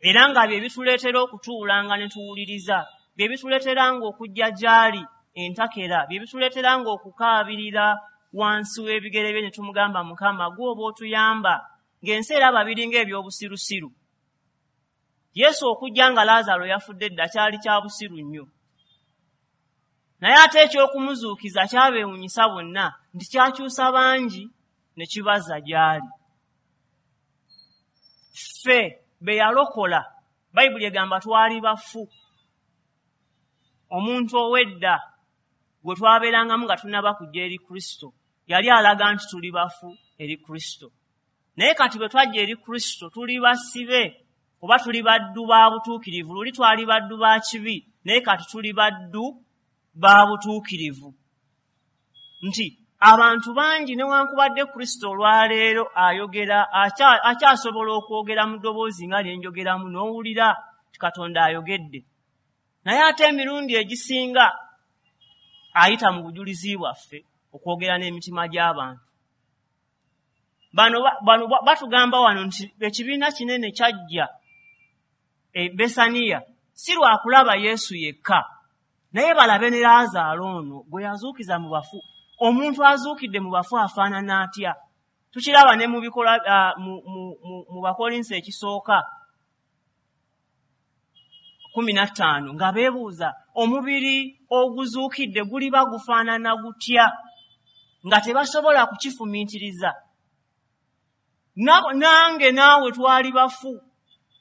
era nga bye bituleetera okutuulanga ne tuwuliriza, bye bituleeteranga okujja gy'ali entakera, bye bituleeteranga okukaabirira wansi w'ebigere bye ne tumugamba, Mukama, ggwe oba otuyamba, ng'ensi eraba biringa eby'obusirusiru. Yesu okujja nga Laazaalo yafudde dda kyali kya busiru nnyo. Naye ate eky'okumuzuukiza kyabeewuunyisa bonna nti kyakyusa bangi ne kibazza gy'ali. Ffe be yalokola, Bayibuli egamba twali bafu. Omuntu ow'edda gwe twabeerangamu nga tunnaba kujja eri Kristo yali alaga nti tuli bafu eri Kristo. Naye kati bwe twajja eri Kristo tuli basibe oba tuli baddu ba butuukirivu. Luli twali baddu ba kibi, naye kati tuli baddu ba butuukirivu. Nti abantu bangi newankubadde Kristo olwaleero ayogera, akyasobola okwogera mu ddoboozi nga lye njogeramu n'owulira nti Katonda ayogedde. Naye ate emirundi egisinga ayita mu bujulizi bwaffe okwogera n'emitima gy'abantu. Bano bano batugamba wano nti ekibiina kinene kyajja e Besaniya si lwa kulaba Yesu yekka, naye balabe ne Laazaalo ono gwe yazuukiza mu bafu. Omuntu azuukidde mu bafu afaanana atya? Tukiraba ne mu bikolwa uh, mu, mu, mu, mu Bakolinso ekisooka kumi na ttaano nga beebuuza omubiri oguzuukidde guliba gufaanana gutya, nga tebasobola kukifumiitiriza. Nange naawe twali bafu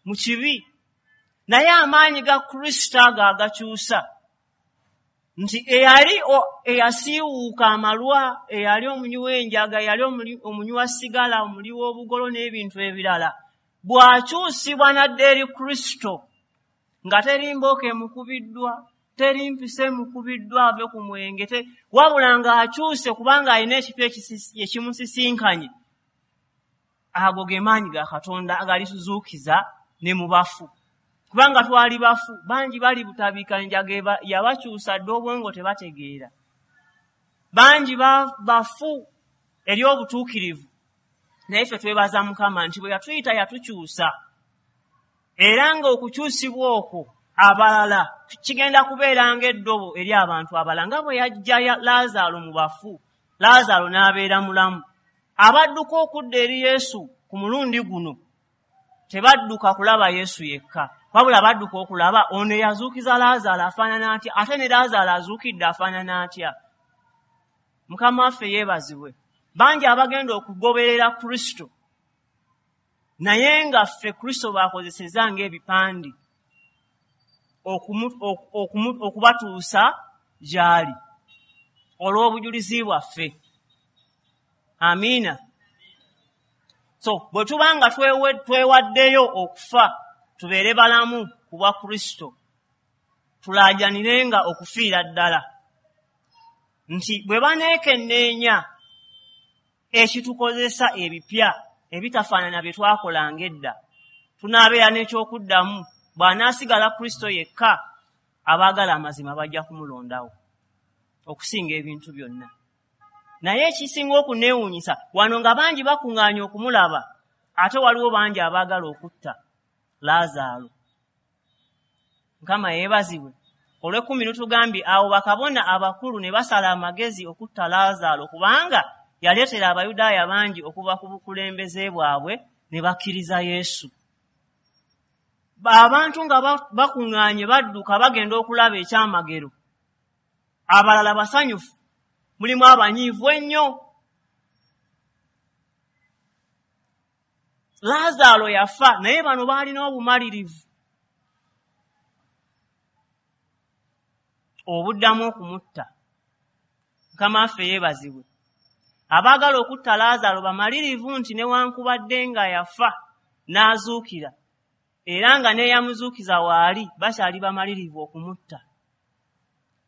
mu kibi, naye amaanyi ga Kristo ago agakyusa nti eyali eyasiiwuuka amalwa, eyali omunywi w'enjaga, eyali omunywi wa sigala, omuli w'obugolo n'ebintu ebirala, bw'akyusibwa n'adda eri Kristo nga teri mbooka emukubiddwa, teri mpisa emukubiddwa ave ku mwenge, wabula ng'akyuse kubanga alina ekipya ekimusisinkanye. Ago ge maanyi ga Katonda agalituzuukiza ne mu bafu. Kubanga twali bafu, bangi bali butabika enjaga yabakyusa dda obwongo tebategeera. Bangi bafu eri obutuukirivu, naye ffe twebaza Mukama nti bwe yatuyita yatukyusa. Era ng'okukyusibwa okwo abalala kigenda kubeera ng'eddobo eri abantu abalala, nga bwe yajja Laazaalo mu bafu, Laazaalo n'abeera mulamu. Abadduka okudda eri Yesu ku mulundi guno tebadduka kulaba Yesu yekka, wabula badduka okulaba ono eyazuukiza Laazaalo afaanana atya, ate ne Laazaalo azuukidde afaanana atya. Mukama waffe yeebazibwe. Bangi abagenda okugoberera Kristo, naye nga ffe Kristo baakozesezza ng'ebipande okubatuusa gy'ali olw'obujulizi bwaffe. Amiina. So bwe tuba nga twewaddeyo okufa tubeere balamu ku bwa Kristo, tulaajanirenga okufiira ddala. Nti bwe baneekenneenya ekitukozesa ebipya ebitafaanana bye twakolanga edda, tunaabeera n'ekyokuddamu. Bw'anaasigala Kristo yekka, abaagala amazima bajja kumulondawo okusinga ebintu byonna. Naye ekisinga okuneewuunyisa wano nga bangi bakuŋŋaanye okumulaba, ate waliwo bangi abaagala okutta Laazaalo. Mukama yeebazibwe. Olw'ekkumi lutugambye awo bakabona abakulu ne basala amagezi okutta Laazaalo, kubanga yaleetera Abayudaaya bangi okuva ku bukulembeze bwabwe ne bakkiriza Yesu. Abantu nga bakuŋŋaanye badduka bagenda okulaba ekyamagero, abalala basanyufu, mulimu abanyiivu ennyo. Laazaalo yafa, naye bano baalina obumalirivu obuddamu okumutta. Mukama waffe yeebazibwe. Abaagala okutta Laazaalo bamalirivu nti newankubadde nga yafa n'azuukira, era nga n'eyamuzuukiza waali, bakyali bamalirivu okumutta.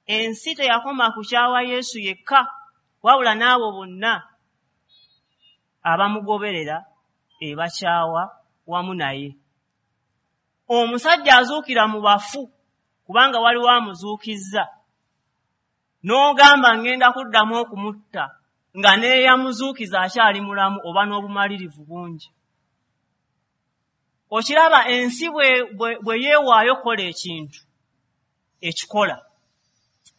Ensi teyakoma kukyawa Yesu yekka, wabula n'abo bonna abamugoberera ebakyawa wamu naye. Omusajja azuukira mu bafu kubanga waliwo amuzuukizza, n'ogamba ngenda kuddamu okumutta nga n'eyamuzuukiza akyali mulamu, oba n'obumalirivu bungi. Okiraba ensi bwe yeewaayo okukola ekintu ekikola,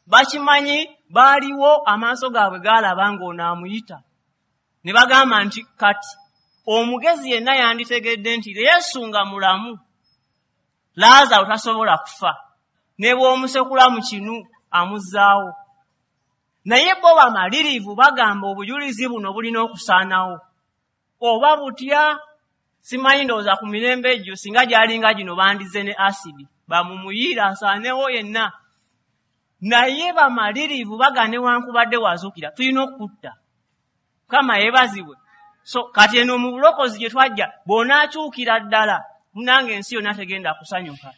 bakimanyi baaliwo amaaso gaabwe gaalaba ng'ono amuyita, ne bagamba nti kati omugezi yenna yanditegedde nti Yesu nga mulamu Laazaalo tasobola kufa, ne bw'omusekula mu kinu amuzzaawo. Naye bo bamalirivu bagamba obujulizi buno bulina okusaanawo. Oba butya, simanyi ndowooza ku mirembe egyo singa gyalinga gino bandize ne asidi bamumuyiira asaanewo yenna. Naye bamalirivu bagamba newankubadde wazuukira tulina okukutta. Mukama yeebazibwe. So kati eno mu bulokozi gye twajja bw'onaakyukira ddala munange ensi yonna tegenda kusanyuka.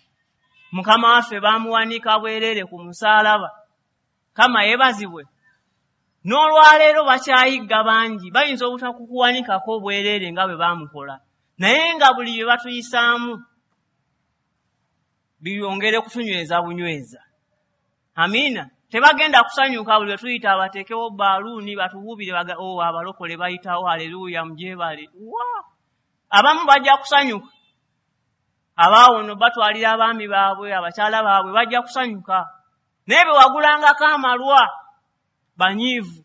Mukama waffe baamuwanika bwereere ku musaalaba. Mukama yeebazibwe. N'olwaleero bakyayigga bangi bayinza obutakukuwanikako bwereere nga bwe baamukola, naye nga buli bye batuyisaamu byongere kutunyweza bunyweza. Amiina. Tebagenda kusanyuka buli lwe tuyita abateekewo baaluuni batuwuubire baga oh abalokole bayitawo haleluya mugyebale. Wa! Abamu bajja kusanyuka. Abaawono batwalira abaami baabwe abakyala baabwe bajja kusanyuka. Naye bwe wagulangako amalwa banyiivu.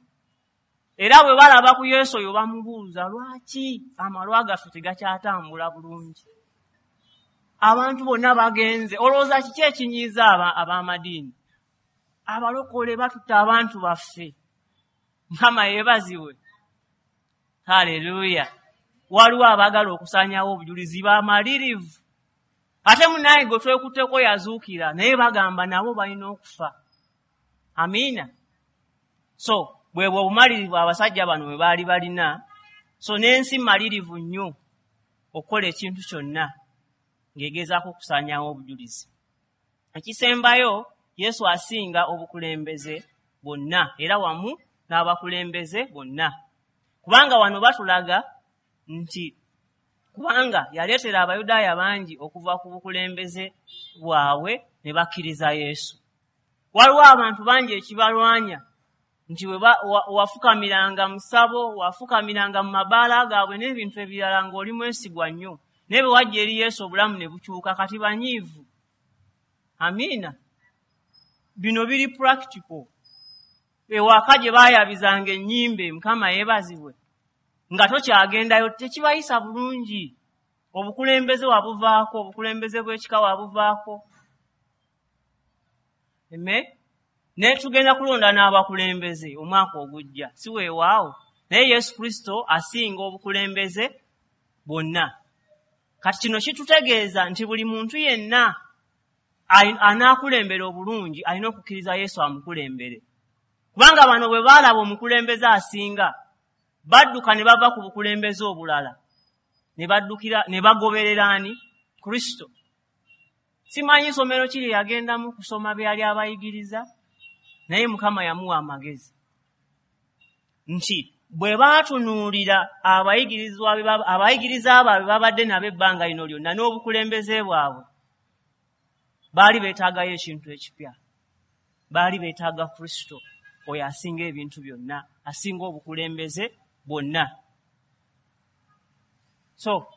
Era bwe balaba ku Yesu oyo bamubuuza lwaki amalwa gaffe tegakyatambula bulungi. Abantu bonna bagenze. Olowooza kiki ekinyiiza ab'amadiini? Abalokole batutta abantu baffe. Mukama yeebazibwe. Haleluya. Waliwo abaagala okusaanyaawo obujulizi bamalirivu. Ate munnaye gwe twekutteko yazuukira naye bagamba nabo balina okufa. Amiina. So bwe bwe obumalirivu abasajja bano bwe baali balina. So n'ensi malirivu nnyo okukola ekintu kyonna ng'egezaako okusaanyaawo obujulizi. Ekisembayo, Yesu asinga obukulembeze bwonna era wamu n'abakulembeze bonna. Kubanga wano batulaga nti kubanga yaleetera Abayudaaya bangi okuva ku bukulembeze bwabwe ne bakkiriza Yesu. Waliwo abantu bangi ekibalwanya nti bwe wafukamiranga mu ssabo, wafukamiranga mu mabaala gaabwe n'ebintu ebirala ng'oli mwesigwa nnyo. Naye bwe wajja eri Yesu obulamu ne bukyuka kati banyiivu. Amiina. Bino biri practical. Ewaka gye baayabizanga ennyimbe, Mukama yeebazibwe, nga tokyagendayo tekibayisa bulungi. Obukulembeze wabuvaako, obukulembeze bw'ekika wabuvaako. Eme ne tugenda kulonda n'abakulembeze omwaka ogujja, si weewaawo. Naye Yesu Kristo asinga obukulembeze bwonna. Kati kino kitutegeeza nti buli muntu yenna anaakulembera obulungi alina okukkiriza Yesu amukulembere. Kubanga bano bwe baalaba omukulembeze asinga badduka ne bava ku bukulembeze obulala ne baddukira ne bagoberera ani? Kristo. Simanyi ssomero ki lye yagendamu kusoma bye yali abayigiriza, naye Mukama yamuwa amagezi nti bwe baatunuulira abayigirizwa abayigiriza baabwe babadde nabo ebbanga lino lyonna n'obukulembeze bwabwe, baali beetaagayo ekintu ekipya. Baali beetaaga Kristo oyo asinga ebintu byonna, asinga obukulembeze bwonna. So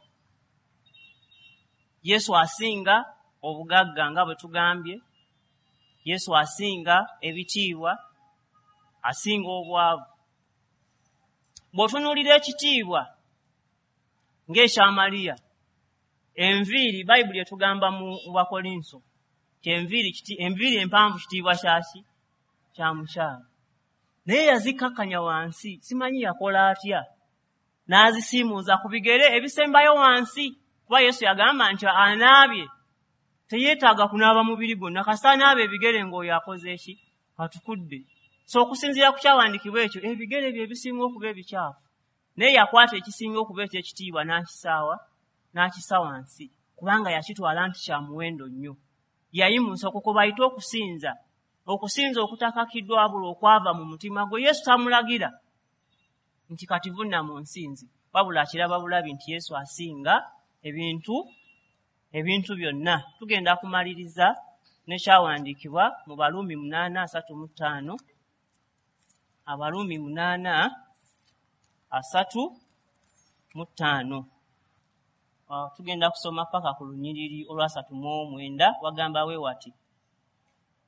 Yesu asinga obugagga nga bwe tugambye, Yesu asinga ebitiibwa, asinga obwavu. Bw'otunuulira ekitiibwa ng'ekya Mariya, enviiri, Bayibuli etugamba mu Bakolinso nti enviiri enviiri empanvu kitiibwa kyaki? Kya mukyala. Naye yazikkakkanya wansi, simanyi yakola atya, n'azisiimuuza ku bigere ebisembayo wansi, kuba Yesu yagamba nti anaabye teyeetaaga kunaaba mubiri gwonna, kasita anaaba ebigere ng'oyo akoze eki? Atukudde. So okusinziira ku kyawandiikibwa ekyo, ebigere bye bisinga okuba ebikyafu. Naye yakwata ekisinga okuba eky'ekitiibwa n'akisaawa, n'akisa wansi, kubanga yakitwala nti kya muwendo nnyo. Yayimusa okwo kwe bayita okusinza, okusinza okutakakiddwa wabula okwava mu mutima gwe. Yesu tamulagira nti kati vunna mu nsinzi, wabula akiraba bulabi nti Yesu asinga ebintu ebintu byonna. Tugenda kumaliriza n'ekyawandiikibwa mu Baruumi munaana asatu mu ttaano. Abaruumi munaana asatu mu ttaano. Tugenda kusoma paka ku lunyiriri olwasatu mu omwenda, wagamba we wati: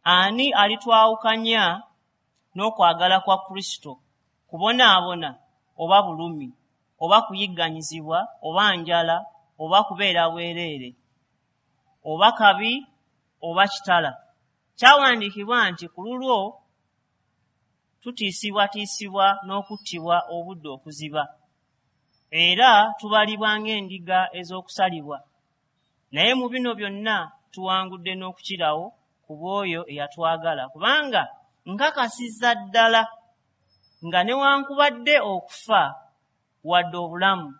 Ani alitwawukanya n'okwagala kwa Kristo? Kubonaabona oba bulumi oba kuyigganyizibwa oba njala oba kubeera bwereere oba kabi oba kitala. Kyawandiikibwa nti ku lulwo tutiisibwatiisibwa n'okuttibwa obudde okuziba, era tubalibwa ng'endiga ez'okusalibwa. Naye mu bino byonna tuwangudde n'okukirawo ku bw'oyo eyatwagala, kubanga nkakasiza ddala nga newankubadde okufa, wadde obulamu,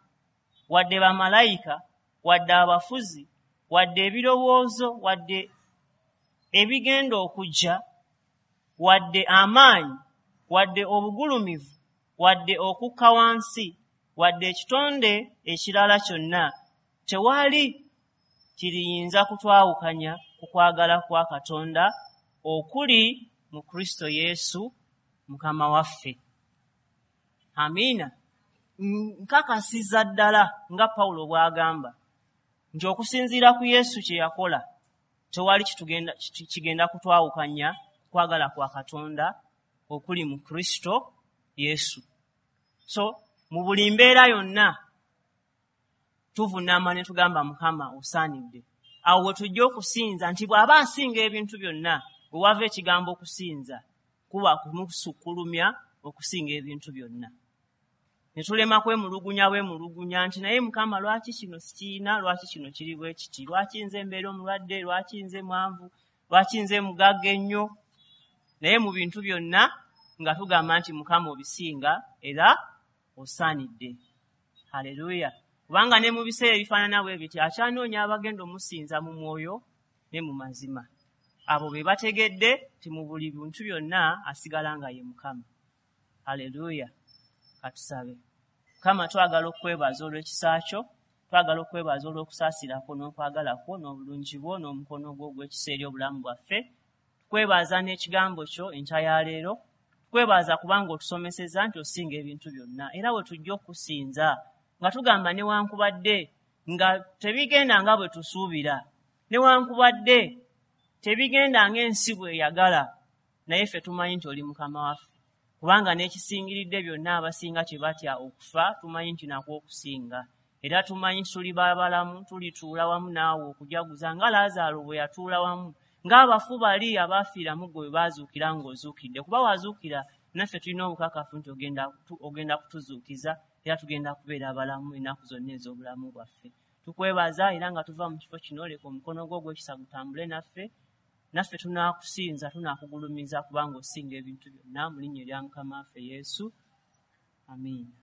wadde bamalayika, wadde abafuzi, wadde ebirowoozo, wadde ebigenda okujja, wadde amaanyi, wadde obugulumivu, wadde okukka wansi, wadde ekitonde ekirala kyonna, tewali kiriyinza kutwawukanya ku kwagala kwa Katonda okuli mu Kristo Yesu Mukama waffe. Amiina. Nkakasiza ddala nga Pawulo bw'agamba nti okusinziira ku Yesu kye yakola, tewali kitugenda kigenda kutwawukanya kwagala kwa Katonda okuli mu Kristo Yesu. So mu buli mbeera yonna tuvunaama ne tugamba Mukama osaanidde. Awo we tujja okusinza nti bw'aba asinga ebintu byonna, bwe wava ekigambo okusinza kuba kumusukkulumya okusinga ebintu byonna. Ne tulema kwemulugunya bwemulugunya nti naye Mukama lwaki kino sikiina, lwaki kino kiri bwe kiti, lwaki nze mbeera omulwadde, lwaki nze mwanvu, lwaki nze mugagga ennyo. Naye mu bintu byonna nga tugamba nti Mukama obisinga era osaanidde. Haleluya. Kubanga ne mu biseera ebifaanana bwe biti akyanoonya abagenda omusinza mu mwoyo ne mu mazima. Abo be bategedde nti mu buli bintu byonna asigala nga ye Mukama. Haleluya. Katusabe. Mukama, twagala okwebaza olw'ekisa kyo, twagala okwebaza olw'okusaasira kwo n'okwagala kwo n'obulungi bwo n'omukono gwo ogw'ekisa eri obulamu bwaffe. Tukwebaza n'ekigambo kyo enkya ya leero. Tukwebaza kubanga otusomesezza nti osinga ebintu byonna, era we tujja okusinza nga tugamba newankubadde nga tebigenda nga bwe tusuubira, newankubadde tebigenda ng'ensi bw'eyagala, naye ffe tumanyi nti oli Mukama waffe. Kubanga n'ekisingiridde byonna abasinga kye batya okufa, tumanyi nti nakwo okusinga. Era tumanyi nti tuli babalamu, tulituula wamu naawe okujaguza nga Laazaalo bwe yatuula wamu, ng'abafu bali abaafiira mu ggwe bwe baazuukira ng'ozuukidde. Kuba wazuukira, naffe tulina obukakafu nti ogenda, ogenda kutuzuukiza, era tugenda kubeera abalamu ennaku zonna ez'obulamu bwaffe. Tukwebaza era nga tuva mu kifo kino, leka omukono gwo ogw'ekisa gutambule naffe, naffe tunaakusinza, tunaakugulumiza kubanga osinga ebintu byonna, mu linnya erya Mukama waffe Yesu. Amiina.